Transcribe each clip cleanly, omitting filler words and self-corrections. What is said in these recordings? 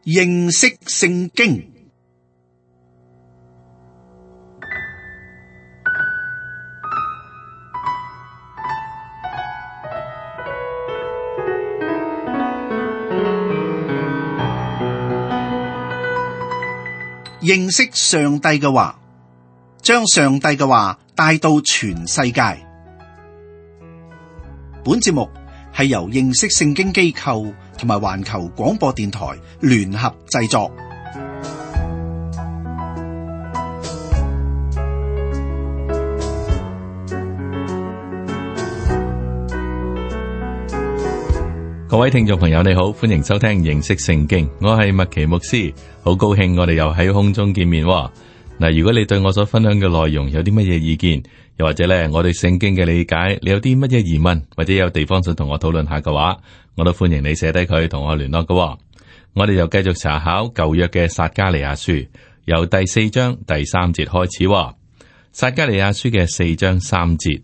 認識聖經。認識上帝嘅話，將上帝嘅話帶到全世界。本節目係由認識聖經機構同埋環球廣播電台聯合製作。各位聽眾朋友你好，歡迎收聽認識聖經，我係麥奇牧師，好高興我哋又喺空中見面。嗱，如果你對我所分享嘅內容有啲乜嘢意見，又或者咧我對聖經嘅理解，你有啲乜嘢疑問，或者有地方想同我討論下嘅話，我都歡迎你寫低佢同我聯絡嘅。我哋又繼續查考舊約嘅撒迦利亞書，由第4章第3節開始。撒迦利亞書嘅4章3節，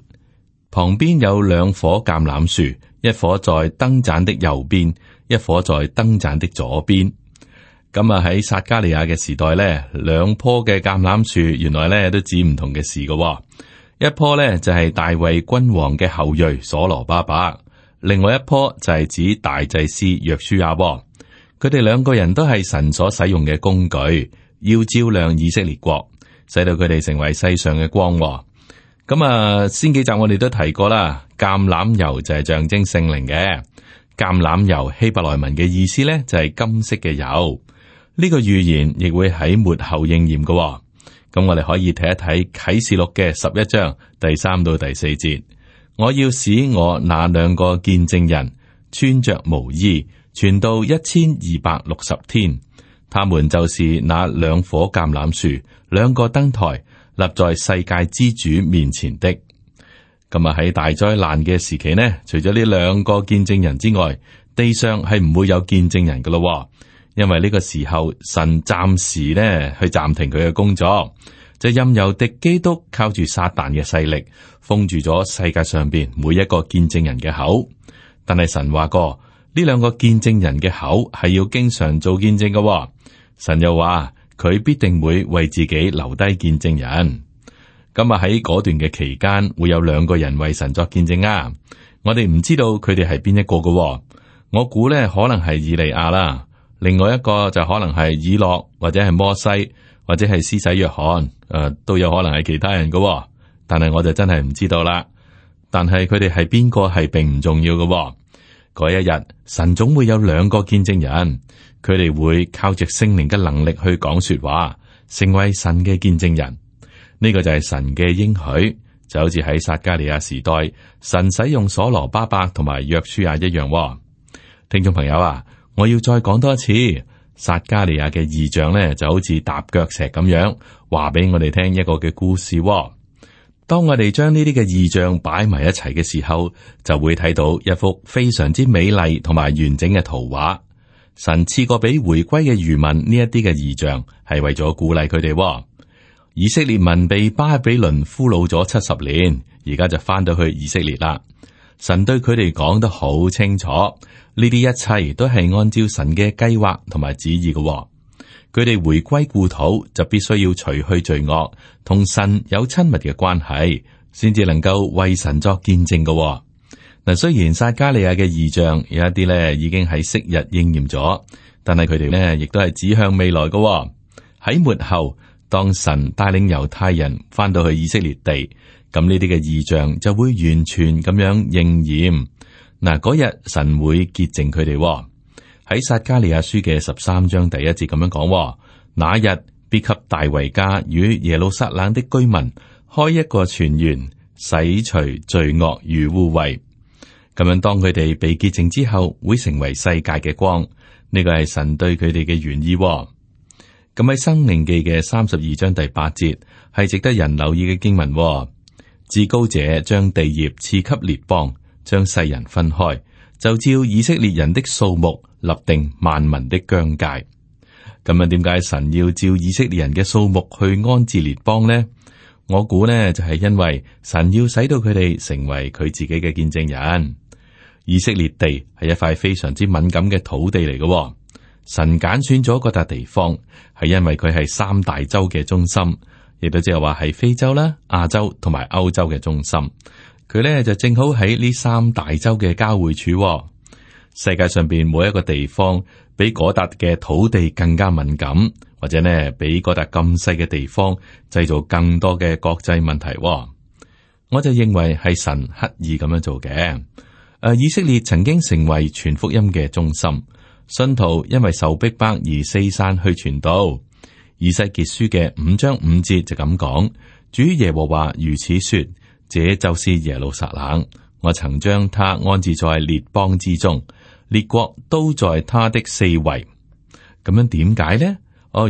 旁邊有2棵橄欖樹，一棵在燈盞的右邊，一棵在燈盞的左邊。咁啊喺撒迦利亞嘅時代咧，2棵嘅橄欖樹原來咧都指唔同嘅事嘅。一棵咧就係大衛君王嘅後裔所羅巴伯，另外一棵就係指大祭司約書亞。佢哋2個人都係神所使用嘅工具，要照亮以色列國，使到佢哋成為世上嘅光。咁啊，先幾集我哋都提過啦，橄欖油就係象徵聖靈嘅。橄欖油希伯來文嘅意思咧就係金色嘅油。呢個預言亦會喺末後應驗嘅。咁我哋可以睇一睇啟示錄嘅11章第3到第4節。我要使我那2個見證人穿着毛衣，傳到1260天。他們就是那2棵橄欖樹，2個燈台，立在世界之主面前的。咁啊喺大災難嘅時期呢，除咗呢2個見證人之外，地上係唔會有見證人噶咯。因為呢個時候神暫時呢去暫停佢嘅工作，就任由敵基督靠住撒旦嘅勢力封住咗世界上邊每一個見證人嘅口。但係神話過呢2個見證人嘅口係要經常做見證嘅。神又話佢必定會為自己留低見證人。咁啊喺嗰段嘅期間會有2個人為神作見證啊。我哋唔知道佢哋係邊一個嘅。我估呢可能係以利亞啦。另外一個就可能係以諾，或者係摩西，或者係施洗約翰，都有可能係其他人嘅。但係我就真係唔知道啦。但係佢哋係邊個係並唔重要嘅。嗰一日，神總會有2個見證人，佢哋會靠着聖靈嘅能力去講說話，成為神嘅見證人。呢個就係神嘅應許，就好似喺撒迦利亞時代，神使用所羅巴伯同埋約書亞一樣。聽眾朋友啊，我要再講多一次，撒迦利亞嘅異象呢，就好似踏腳石咁樣，話俾我哋聽一個嘅故事。當我哋將呢啲嘅異象擺埋一齊嘅時候，就會睇到一幅非常之美麗同埋完整嘅圖畫。神賜過俾回歸嘅餘民呢一啲嘅異象，係為咗鼓勵佢哋。以色列民被巴比倫俘虜咗70年，而家就翻到去以色列啦。神對佢哋講得好清楚，呢啲一切都係按照神嘅計劃同埋旨意嘅。佢哋回歸故土就必須要除去罪惡，同神有親密嘅關係，先至能夠為神作見證嘅。嗱，雖然撒迦利亞嘅異象有一啲咧已經喺昔日應驗咗，但係佢哋咧亦都係指向未來嘅。喺末後，當神帶領猶太人翻到去以色列地，咁呢啲嘅異象就會完全咁樣應驗。嗱，嗰日神會潔淨佢哋。喺撒迦利亞書嘅13章第1節咁樣講：那日必給大衛家與耶路撒冷的居民開一個泉源，洗除罪惡與污穢。咁樣當佢哋被潔淨之後，會成為世界嘅光。呢個係神對佢哋嘅原意。咁喺申命記嘅32章第8節係值得人留意嘅經文。至高者將地業賜給列邦，將世人分開，就照以色列人的數目立定萬民的疆界。咁樣點解神要照以色列人嘅數目去安置列邦呢？我估呢就係因為神要使到佢哋成為佢自己嘅見證人。以色列地係一塊非常之敏感嘅土地嚟嘅，神揀選咗嗰笪地方，係因為佢係三大洲嘅中心，亦都即係話係非洲啦、亞洲同埋歐洲嘅中心。佢咧就正好喺呢三大洲嘅交匯處。世界上邊每一個地方比嗰笪嘅土地更加敏感，或者呢比嗰笪咁細嘅地方製造更多嘅國際問題。我就認為係神刻意咁樣做嘅。以色列曾經成為傳福音嘅中心。信徒因為受逼迫而四散去傳道。以西結書嘅5章5節就咁講：主耶和華如此說，這就是耶路撒冷，我曾將他安置在列邦之中，列國都在他的四圍。咁樣點解呢？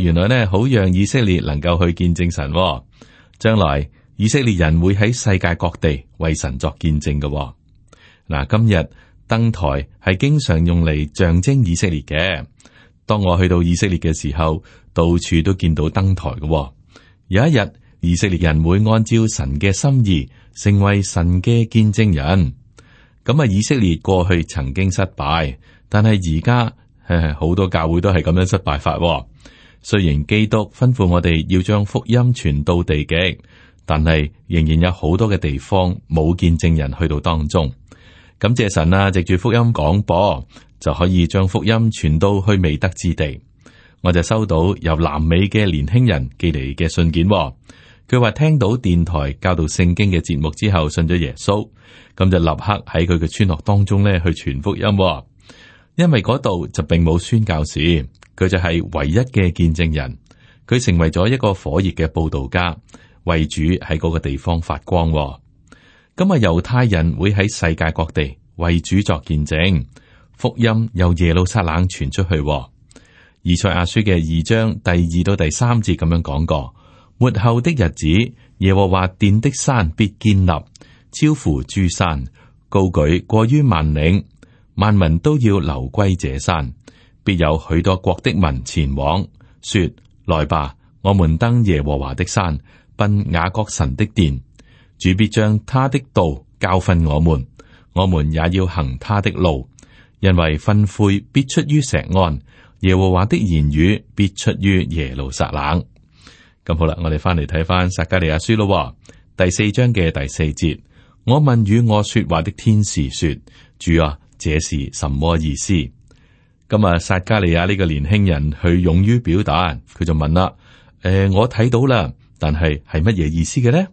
原來呢，好讓以色列能夠去見證神。將來以色列人會喺世界各地為神作見證嘅。嗱，今日燈台係經常用嚟象徵以色列嘅。當我去到以色列嘅時候，到處都見到燈台嘅。有一日，以色列人會按照神嘅心意，成為神嘅見證人。咁啊，以色列過去曾經失敗，但係而家好多教會都係咁樣失敗法。雖然基督吩咐我哋要將福音傳到地極，但係仍然有好多嘅地方冇見證人去到當中。感謝神啊，藉住福音廣播就可以將福音傳到去未得之地。我就收到由南美嘅年輕人寄嚟嘅信件，佢話聽到電台教導聖經嘅節目之後信咗耶穌，咁就立刻喺佢嘅村落當中咧去傳福音。因為嗰度就並冇宣教士，佢就係唯一嘅見證人。佢成為咗一個火熱嘅佈道家，為主喺嗰個地方發光。咁啊，猶太人會喺世界各地為主作見證，福音由耶路撒冷傳出去。以賽亞書嘅2章第2到第3節咁樣講過：末後的日子，耶和華殿的山必堅立，超乎諸山，高舉過於萬嶺，萬民都要流歸這山，必有許多國的民前往，說：來吧，我們登耶和華的山，奔雅各神的殿。主必將他的道教訓我們，我們也要行他的路，因為訓誨必出於錫安，耶和華的言語必出於耶路撒冷。咁好啦，我哋翻嚟睇翻撒迦利亞書咯，第4章嘅第4節。我問與我說話的天使說：主啊，這是什麼意思？咁啊，撒迦利亞呢個年輕人去勇於表達，佢就問啦：我睇到啦，但係乜嘢意思嘅呢？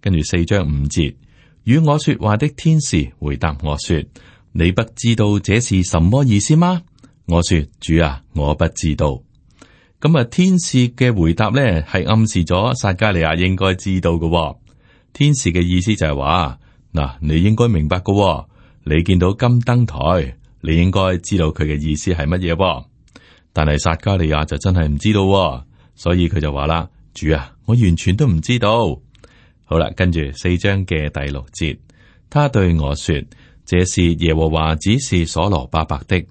跟住4章5節，與我說話的天使回答我說：你不知道這是什麼意思嗎？我說：主啊，我不知道。咁啊，天使嘅回答呢係暗示咗撒迦利亞應該知道嘅。天使嘅意思就係話：嗱，你應該明白嘅。你見到金燈台，你應該知道佢嘅意思係乜嘢。但係撒迦利亞就真係唔知道，所以佢就話啦：主啊，我完全都唔知道。好啦，跟住4章嘅第6節，他對我說：這是耶和華指示所羅巴伯的。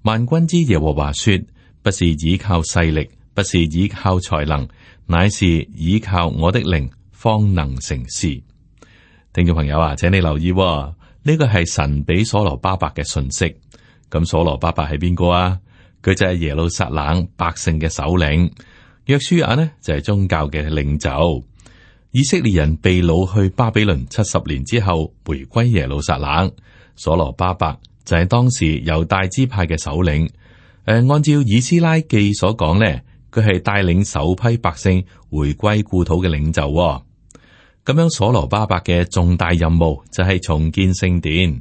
萬軍之耶和華說：不是倚靠勢力，不是倚靠才能，乃是倚靠我的靈，方能成事。聽眾朋友啊，請你留意，呢個係神俾所羅巴伯嘅信息。咁所羅巴伯係邊個啊？佢就係耶路撒冷百姓嘅首領。約書亞呢就係宗教嘅領袖。以色列人被擄去巴比倫70年之後，回歸耶路撒冷。所羅巴伯就係當時猶大支派嘅首領。按照以斯拉記所講呢，佢係帶領首批百姓回歸故土嘅領袖。咁樣，所羅巴伯嘅重大任務就係重建聖殿，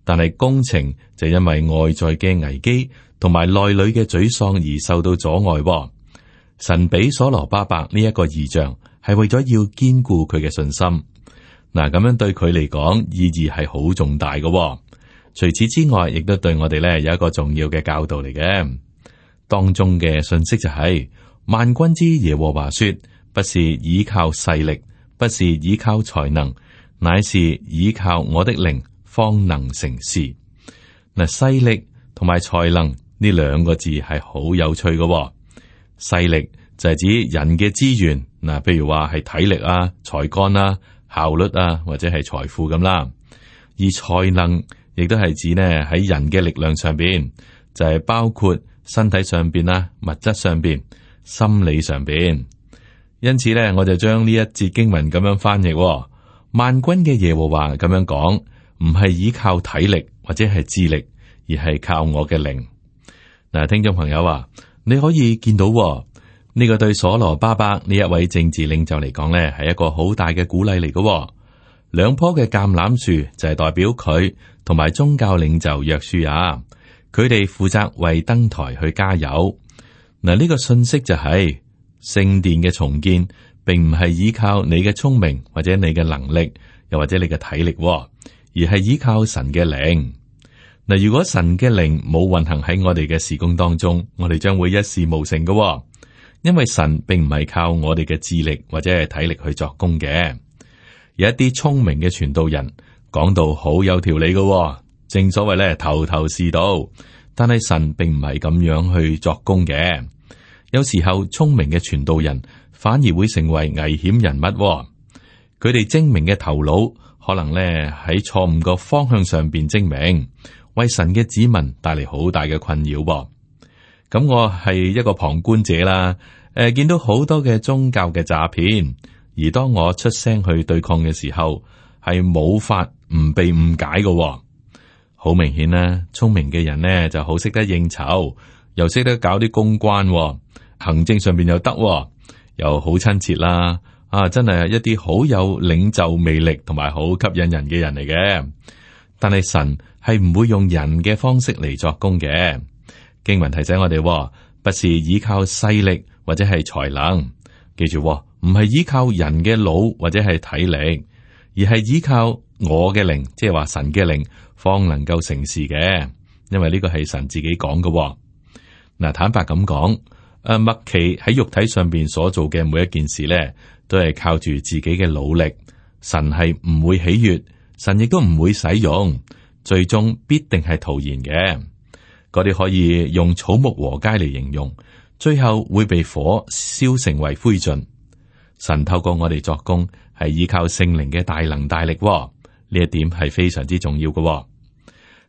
但係工程就因為外在嘅危機同埋內裏嘅沮喪而受到阻礙。神俾所羅巴伯呢一個異象，係為咗要堅固佢嘅信心。嗱，咁樣對佢嚟講意義係好重大嘅。除此之外，亦都對我哋咧有一個重要嘅教導嚟嘅。當中嘅信息就係：萬軍之耶和華說，不是倚靠勢力，不是倚靠才能，乃是倚靠我的靈，方能成事。嗱，勢力同埋才能呢兩個字係好有趣嘅。勢力就係指人嘅資源，嗱，譬如話係體力啊、才幹啊、效率啊，或者係財富咁啦。而才能亦都係指呢喺人嘅力量上邊，就係包括身體上邊啦、物質上邊、心理上邊。因此咧，我就將呢一節經文咁樣翻譯：萬軍嘅耶和華咁樣講，唔係依靠體力或者係智力，而係靠我嘅靈。嗱，聽眾朋友啊，你可以見到呢個對所羅巴伯呢一位政治領袖嚟講呢，係一個好大嘅鼓勵嚟嘅。兩棵嘅橄欖樹就係代表佢同埋宗教領袖約書亞，佢哋負責為燈台去加油。嗱，呢個信息就係聖殿嘅重建，並唔係依靠你嘅聰明或者你嘅能力，又或者你嘅體力，而係依靠神嘅靈。嗱，如果神嘅靈冇運行喺我哋嘅事工當中，我哋將會一事無成嘅。因為神並唔係靠我哋嘅智力或者係體力去作工嘅。有一啲聰明嘅傳道人講到好有條理嘅，正所謂咧頭頭是道。但係神並唔係咁樣去作工嘅。有時候聰明嘅傳道人反而會成為危險人物。佢哋精明嘅頭腦可能咧喺錯誤個方向上邊精明，為神嘅子民帶嚟好大嘅困擾。咁我係一個旁觀者啦，見到好多嘅宗教嘅詐騙，而當我出聲去對抗嘅時候，係冇法唔被誤解嘅。好明顯啦，聰明嘅人呢就好識得應酬，又識得搞啲公關，行政上邊又得，又好親切啦。真係一啲好有領袖魅力同埋好吸引人嘅人嚟嘅。但係神係唔會用人嘅方式嚟作工嘅。經文提醒我哋，不是依靠勢力或者係才能，記住，唔係依靠人嘅腦或者係體力，而係依靠我嘅靈，即係話神嘅靈，方能夠成事嘅。因為呢個係神自己講嘅。嗱，坦白咁講，麥奇喺肉體上邊所做嘅每一件事咧，都係靠住自己嘅努力。神係唔會喜悅，神亦都唔會使用，最終必定係徒然嘅。嗰啲可以用草木禾秸嚟形容，最後會被火燒成為灰燼。神透過我哋作工，係依靠聖靈嘅大能大力，呢一點係非常之重要嘅。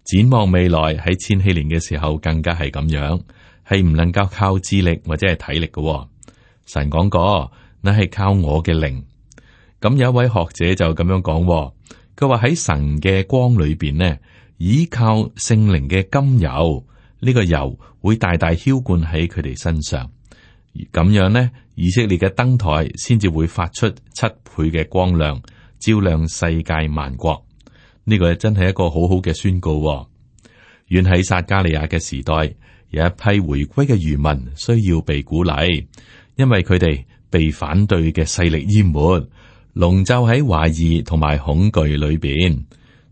展望未來喺千禧年嘅時候，更加係咁樣，係唔能夠靠智力或者係體力嘅。神講過，那係靠我嘅靈。咁有一位學者就咁樣講，佢話喺神嘅光裏邊呢，依靠聖靈嘅甘油。呢個油會大大澆灌喺佢哋身上，咁樣呢，以色列嘅燈台先至會發出7倍嘅光亮，照亮世界萬國。呢個真係一個好好嘅宣告。遠喺撒迦利亞嘅時代，有一批回歸嘅餘民需要被鼓勵，因為佢哋被反對嘅勢力淹沒，籠罩喺懷疑同埋恐懼裏邊。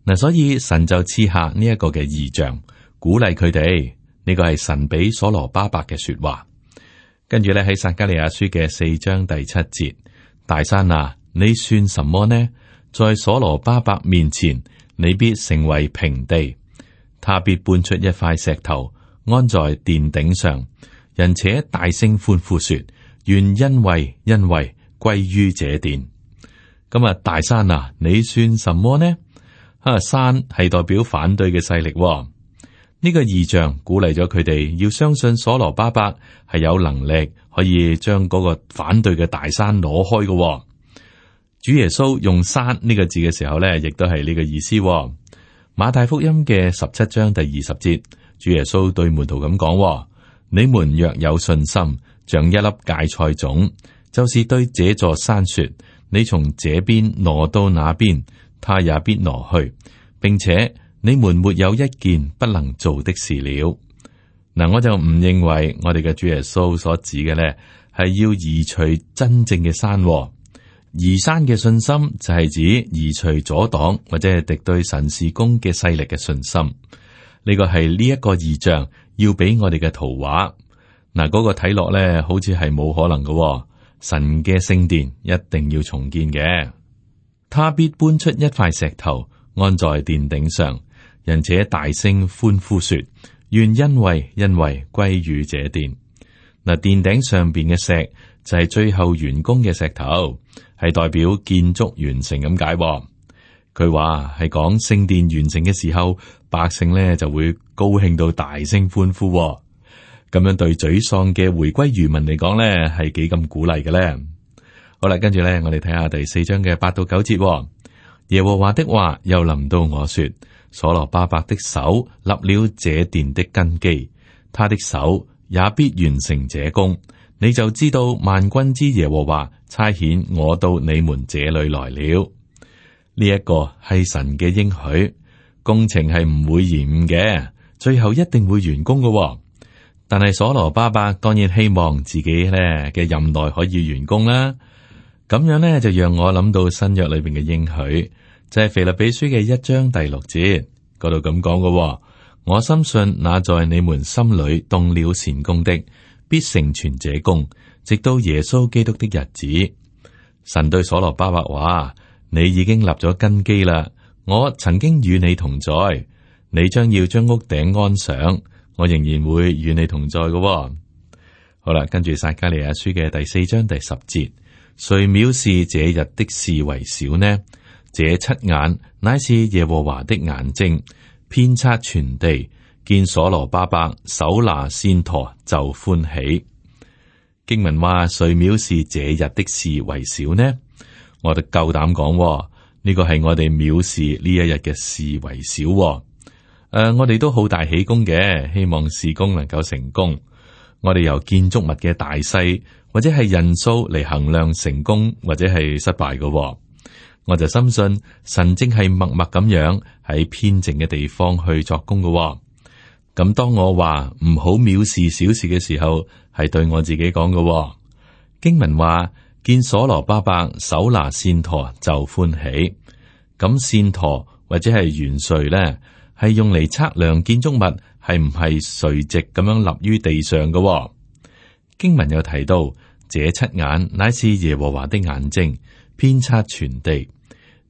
嗱，所以神就賜下呢一個嘅異象，鼓勵佢哋。呢個係神俾所羅巴伯嘅說話。跟住咧喺撒迦利亞書嘅4章第7節，大山啊，你算什麼呢？在所羅巴伯面前，你必成為平地。他必搬出一塊石頭，安在殿頂上，人且大聲歡呼說：願恩惠歸於這殿。咁啊，大山啊，你算什麼呢？山係代表反對嘅勢力。呢個異象鼓勵咗佢哋要相信所羅巴伯係有能力可以將嗰個反對嘅大山攞開嘅。主耶穌用山呢個字嘅時候呢，亦都係呢個意思。馬太福音嘅17章第20節，主耶穌對門徒咁講：你們若有信心，像一粒芥菜種，就是對這座山說：你從這邊挪到那邊，他也必挪去，並且你們沒有一件不能做的事了。嗱，我就唔認為我哋嘅主耶穌所指嘅咧，係要移除真正嘅山。移山嘅信心就係指移除阻擋或者係敵對神事工嘅勢力嘅信心。呢個係呢一個異象要俾我哋嘅圖畫。嗱，嗰個睇落咧，好似係冇可能嘅。神嘅聖殿一定要重建嘅，他必搬出一塊石頭，安在殿頂上。人且大聲歡呼說：願恩惠歸於這殿。嗱，殿頂上邊嘅石就係最後完工嘅石頭，係代表建築完成咁解。佢話係講聖殿完成嘅時候，百姓咧就會高興到大聲歡呼。咁樣對沮喪嘅回歸餘民嚟講咧，係幾咁鼓勵嘅咧？好啦，跟住咧，我哋睇下第4章嘅8到9節。耶和華的話又臨到我說：所羅巴伯的手立了這殿的根基，他的手也必完成這工。你就知道萬軍之耶和華差遣我到你們這裏來了。呢一個係神嘅應許，工程係唔會延誤嘅，最後一定會完工嘅。但係所羅巴伯當然希望自己咧嘅任內可以完工啦。咁樣咧就讓我諗到新約裏邊嘅應許，就係腓立比書嘅1章第6節嗰度咁講嘅。我深信那在你們心裏動了善工的，必成全這工，直到耶穌基督的日子。神對所羅巴伯話：你已經立咗根基啦，我曾經與你同在，你將要將屋頂安上，我仍然會與你同在嘅。好啦，跟住撒迦利亞書嘅第4章第10節，誰藐視這日的事為小呢？這7眼乃是耶和華的眼睛，遍察全地，見所羅巴伯手拿線鉈就歡喜。經文話：誰藐視這日的事為小呢？我哋夠膽講，呢個係我哋藐視呢一日嘅事為小。我哋都好大喜功嘅，希望事工能夠成功。我哋由建築物嘅大細或者係人數嚟衡量成功或者係失敗嘅。我就深信神正係默默咁樣喺偏靜嘅地方去作工嘅。咁當我話唔好藐視小事嘅時候，係對我自己講嘅。經文話：見所羅巴伯手拿線鉈就歡喜。咁線鉈或者係圓錘咧，係用嚟測量建築物係唔係垂直咁樣立於地上嘅。經文又提到，這7眼乃是耶和華的眼睛，遍察全地。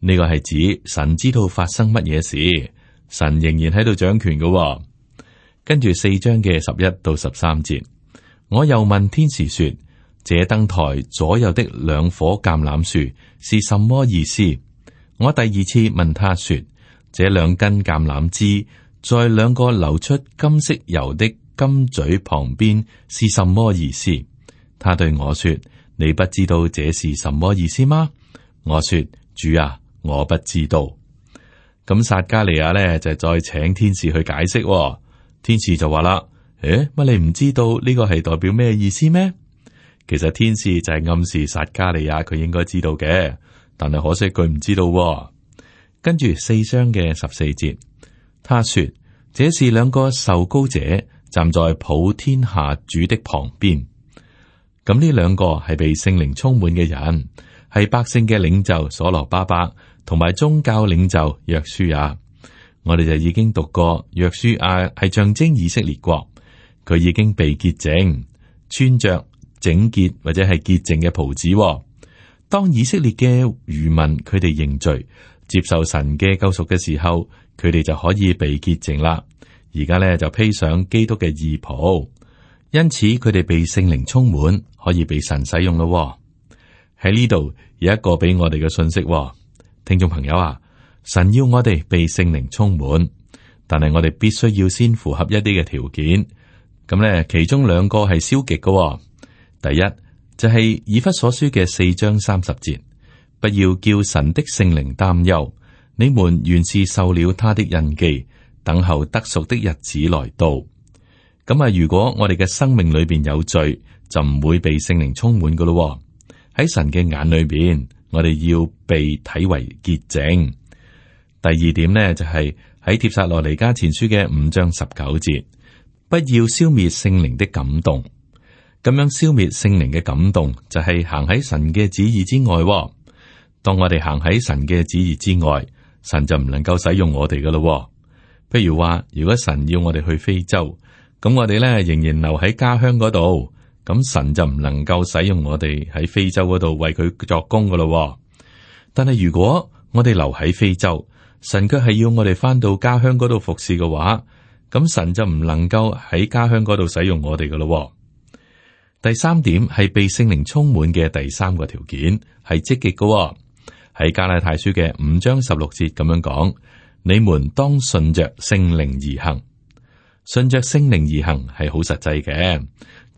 呢個係指神知道發生乜嘢事，神仍然喺度掌權嘅。跟住4章嘅11到13節，我又問天使說：這燈台左右的2棵橄欖樹是什麼意思？我第二次問他說：這2根橄欖枝在2個流出金色油的金嘴旁邊是什麼意思？他對我說：你不知道這是什麼意思嗎？我說：主啊，我不知道。咁撒迦利亞呢，就再請天使去解釋。天使就話啦：乜你唔知道呢個係代表咩意思咩？其實天使就係暗示撒迦利亞佢應該知道嘅，但係可惜佢唔知道。跟住4章嘅14節，他說：這是2個受膏者站在普天下主的旁邊。咁呢2個係被聖靈充滿嘅人，係百姓嘅領袖所羅巴伯同埋宗教領袖約書亞。我哋就已經讀過，約書亞係象徵以色列國，佢已經被潔淨，穿着整潔或者係潔淨嘅袍子。當以色列嘅餘民佢哋認罪，接受神嘅救贖嘅時候，佢哋就可以被潔淨啦。而家咧就披上基督嘅義袍，因此佢哋被聖靈充滿，可以被神使用咯。喺呢度有一個俾我哋嘅信息，聽眾朋友啊。神要我哋被聖靈充滿，但係我哋必須要先符合一啲嘅條件。咁咧，其中2個係消極嘅。第一就係以弗所書嘅4章30節，不要叫神的聖靈擔憂，你們原是受了他的印記，等候得贖的日子來到。咁啊，如果我哋嘅生命裏邊有罪，就唔會被聖靈充滿噶咯。喺神嘅眼裏邊，我哋要被睇為潔淨。第二點呢，就係喺帖撒羅尼迦前書嘅5章19節，不要消滅聖靈的感動。咁樣消滅聖靈嘅感動，就係行喺神嘅旨意之外。當我哋行喺神嘅旨意之外，神就唔能夠使用我哋噶咯。譬如話，如果神要我哋去非洲，咁我哋咧仍然留喺家鄉嗰度，咁神就唔能夠使用我哋喺非洲嗰度為佢作工噶咯。但係如果我哋留喺非洲，神卻係要我哋翻到家鄉嗰度服侍嘅話，咁神就唔能夠喺家鄉嗰度使用我哋噶咯。第3點係被聖靈充滿嘅第3個條件係積極嘅。喺加拉太書嘅5章16節咁樣講：你們當順着聖靈而行。順着聖靈而行係好實際嘅，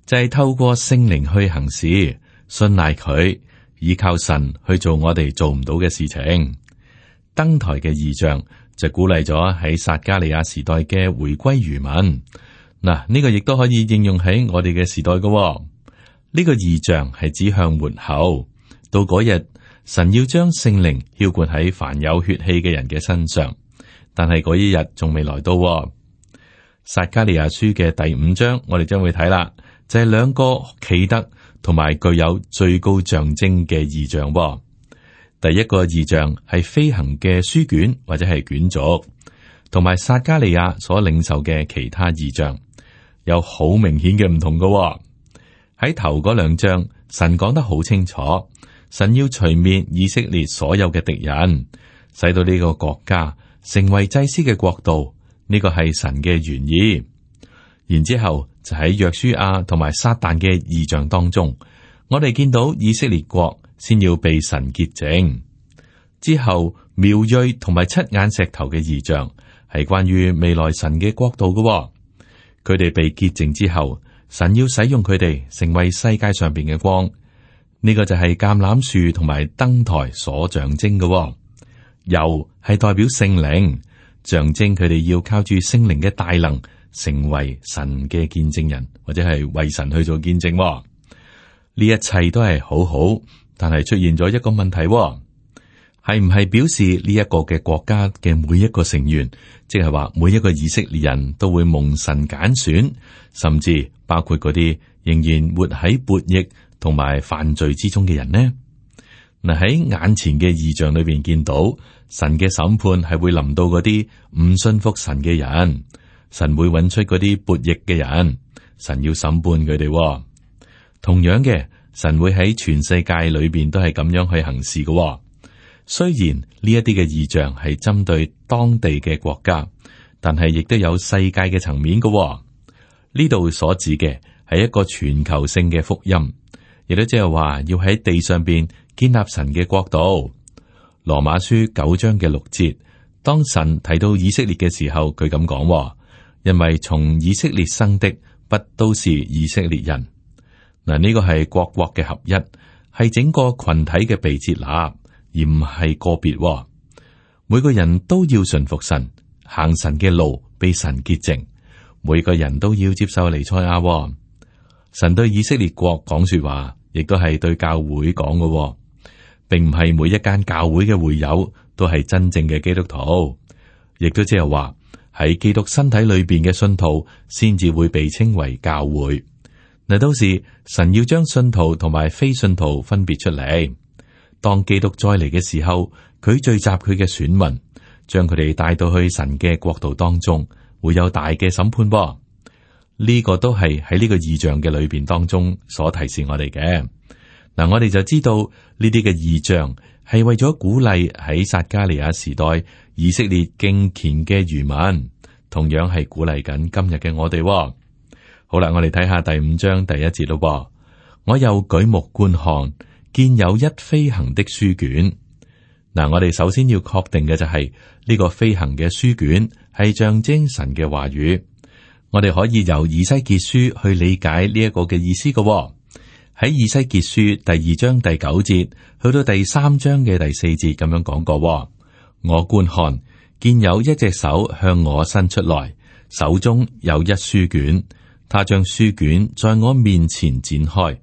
就係透過聖靈去行事，信賴佢，依靠神去做我哋做唔到嘅事情。燈台嘅異象就鼓勵咗喺撒迦利亞時代嘅回歸餘民。嗱，呢個亦都可以應用喺我哋嘅時代嘅。呢個異象係指向末後，到嗰日神要將聖靈澆灌喺凡有血氣嘅人嘅身上，但係嗰一日仲未來到。撒迦利亞書嘅第5章，我哋將會睇啦，就係兩個奇特同埋具有最高象徵嘅異象。第一個異象係飛行嘅書卷或者係卷軸，同埋撒迦利亞所領受嘅其他異象有好明顯嘅唔同嘅。喺頭嗰2章，神講得好清楚，神要除滅以色列所有嘅敵人，使到呢個國家成為祭司嘅國度。呢個係神嘅原意。然之後就喺約書亞同埋撒旦嘅異象當中，我哋見到以色列國先要被神潔淨。之後苗裔同埋7眼石頭嘅異象係關於未來神嘅國度嘅。佢哋被潔淨之後，神要使用佢哋成為世界上邊嘅光。呢個就係橄欖樹同埋燈台所象徵嘅。油係代表聖靈，象徵佢哋要靠住聖靈嘅大能，成為神嘅見證人，或者係為神去做見證。呢一切都係好好，但係出現咗一個問題，係唔係表示呢一個嘅國家嘅每一個成員，即係話每一個以色列人都會蒙神揀選，甚至包括嗰啲仍然活喺悖逆同埋犯罪之中嘅人呢？嗱，喺眼前嘅異象裏邊見到神嘅審判係會臨到嗰啲唔信服神嘅人，神會揾出嗰啲悖逆嘅人，神要審判佢哋。同樣嘅，神會喺全世界裏邊都係咁樣去行事嘅。雖然呢一啲嘅異象係針對當地嘅國家，但係亦都有世界嘅層面嘅。呢度所指嘅係一個全球性嘅福音，亦都即係話要喺地上邊建立神嘅國度。羅馬書9章嘅6節，當神提到以色列嘅時候，佢咁講：因為從以色列生的不都是以色列人。嗱，呢個係國嘅合一，係整個群體嘅被接納，而唔係個別。每個人都要順服神，行神嘅路，被神潔淨。每個人都要接受彌賽亞。神對以色列國講說話，亦都係對教會講嘅，並唔係每一間教會嘅會友都係真正嘅基督徒，亦都即係話喺基督身體裏邊嘅信徒先至會被稱為教會。嗱，到時神要將信徒同埋非信徒分別出嚟。當基督再嚟嘅時候，佢聚集佢嘅選民，將佢哋帶到去神嘅國度當中，會有大嘅審判噃。呢個都係喺呢個異象嘅裏邊當中所提示我哋嘅。嗱，我哋就知道呢啲嘅異象係為咗鼓勵喺撒迦利亞時代以色列敬虔嘅餘民，同樣係鼓勵緊今日嘅我哋。好啦，我哋睇下第5章第1節咯。我又舉目觀看，見有一飛行的書卷。嗱，我哋首先要確定嘅就係呢個飛行嘅書卷係象徵神嘅話語。我哋可以由以西結書去理解呢一個嘅意思嘅。喺以西結書第2章第9節去到第3章嘅第4節咁樣講過。我觀看，見有一隻手向我伸出來，手中有一書卷。他將書卷在我面前展開，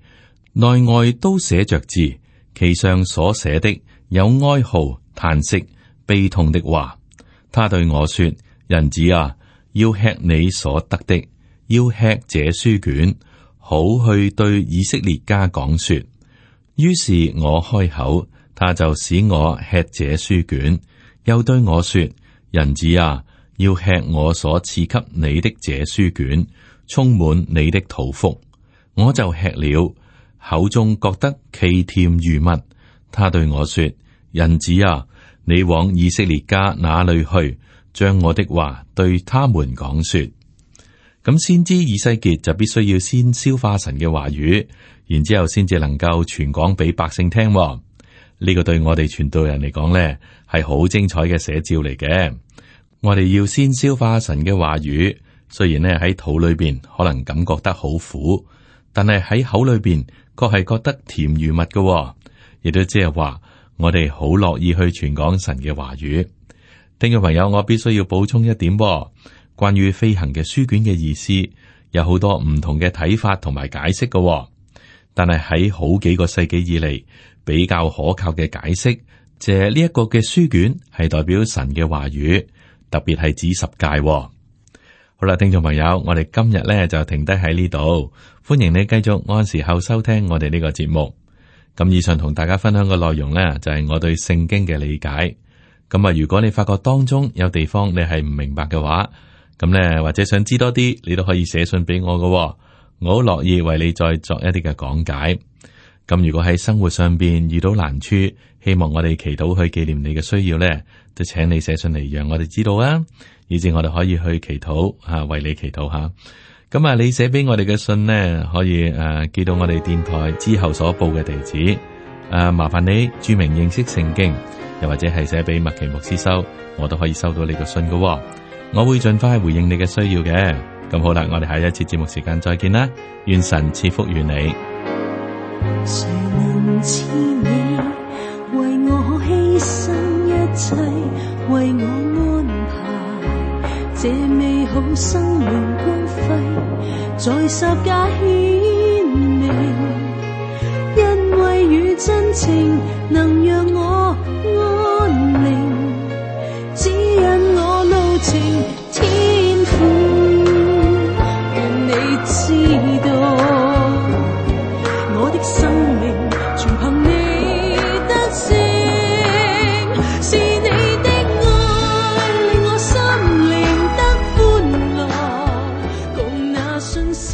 內外都寫着字，其上所寫的有哀號、嘆息、悲痛的話。他對我說：人子啊，要吃你所得的，要吃這書卷，好去對以色列家講說。於是我開口，他就使我吃這書卷，又對我說：人子啊，要吃我所賜給你的這書卷，充滿你的肚腹。我就吃了，口中覺得奇甜如蜜。他對我說：人子啊，你往以色列家那裏去，將我的話對他們講說。咁先知以西結就必須要先消化神嘅話語，然之後先至能夠傳講俾百姓聽。呢個對我哋傳道人嚟講呢，係好精彩嘅寫照嚟嘅。我哋要先消化神嘅話語，雖然呢喺肚裏邊可能感覺得好苦，但係喺口裏邊確係覺得甜如蜜嘅，亦都即係話我哋好樂意去傳講神嘅話語。聽眾朋友，我必須要補充一點，關於飛行嘅書卷嘅意思，有好多唔同嘅睇法同埋解釋嘅。但係喺好幾個世紀以嚟，比較可靠嘅解釋，就係呢一個嘅書卷係代表神嘅話語，特別係指十誡。好啦，聽眾朋友，我哋今日咧就停低喺呢度，歡迎你繼續按時候收聽我哋呢個節目。咁以上同大家分享嘅內容呢，就係我對聖經嘅理解。咁啊，如果你發覺當中有地方你係唔明白嘅話，咁呢，或者想知多啲，你都可以寫信俾我嘅，我好樂意為你再作一啲嘅講解。咁如果喺生活上邊遇到難處，希望我哋祈禱去紀念你嘅需要呢，就請你寫信嚟讓我哋知道啊，以至我哋可以去祈禱吓，為你祈禱吓。咁啊，你寫俾我哋嘅信呢，可以寄到我哋電台之後所報嘅地址。麻煩你注明認識聖經，又或者係寫俾麥奇牧師收，我都可以收到你嘅信嘅。我會盡快回應你嘅需要嘅。咁好啦，我哋下一次節目時間再見啦，願神賜福於你。誰能似你為我犧牲一切，為我安排這美好生命光輝在十架顯明，因為與真情能讓我安寧，指引我路程天父，願你知道我的生命全憑你得勝，是你的愛令我心靈得歡樂，共那信心